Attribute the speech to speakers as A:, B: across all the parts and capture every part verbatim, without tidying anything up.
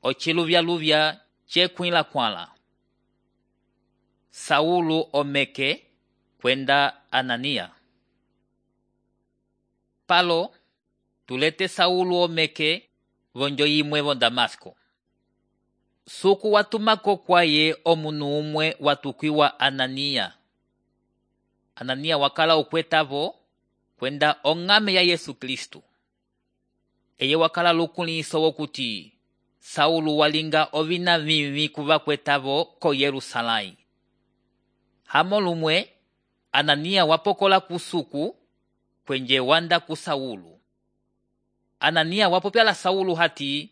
A: ociluvyaluvya cekwĩla kwãla. Saulo omeke kwenda Anania. Palo tulete Saulo omeke vonjo yimwe vo Damasco. Suku watumako kwaye omunu umwe watukwiwa Anania. Anania wakala ukwetavo kwenda ong'ame ya Yesu Kristu. Eye wakala lukuliso wokuti Saulo walinga ovina vivi kuvakwetavo ko Yerusalai. Hamo lumwe Anania wapokola kusuku kwenje wanda ku Saulo. Anania wapopyala Saulo hati,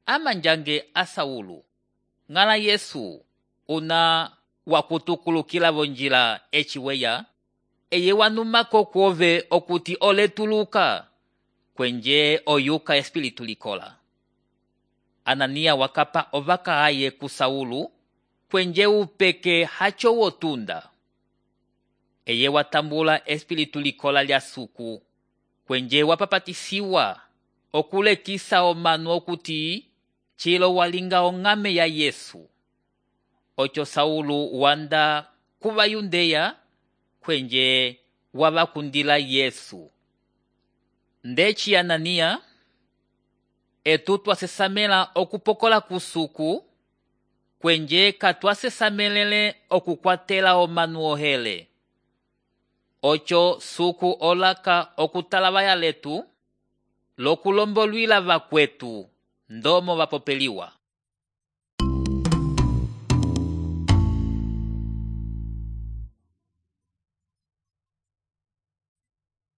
A: amanjange a Saulo, ng'ala Yesu una wakutukulukila vonjila eciweya, eye wanumako kwove okuti oletuluka kwenje oyuka espiritu likola. Anania wakapa ovaka aye ku Saulo kwenje upeke hacho wotunda. Eye watambula espiritu likola lya suku kwenje wapapatisiwa okulekisa omanu okuti chilo walinga ong'ame ya Yesu. Ocho Saulo wanda kuva Yundeya kwenje wavakundila Yesu. Ndeci Anania etu twasesamela okupokola kusuku kwenje katwasesamelele okukwatela omanu ohele. Ocho suku olaka okutalavaya letu lokulombolwila vakwetu ndomo vapopeliwa.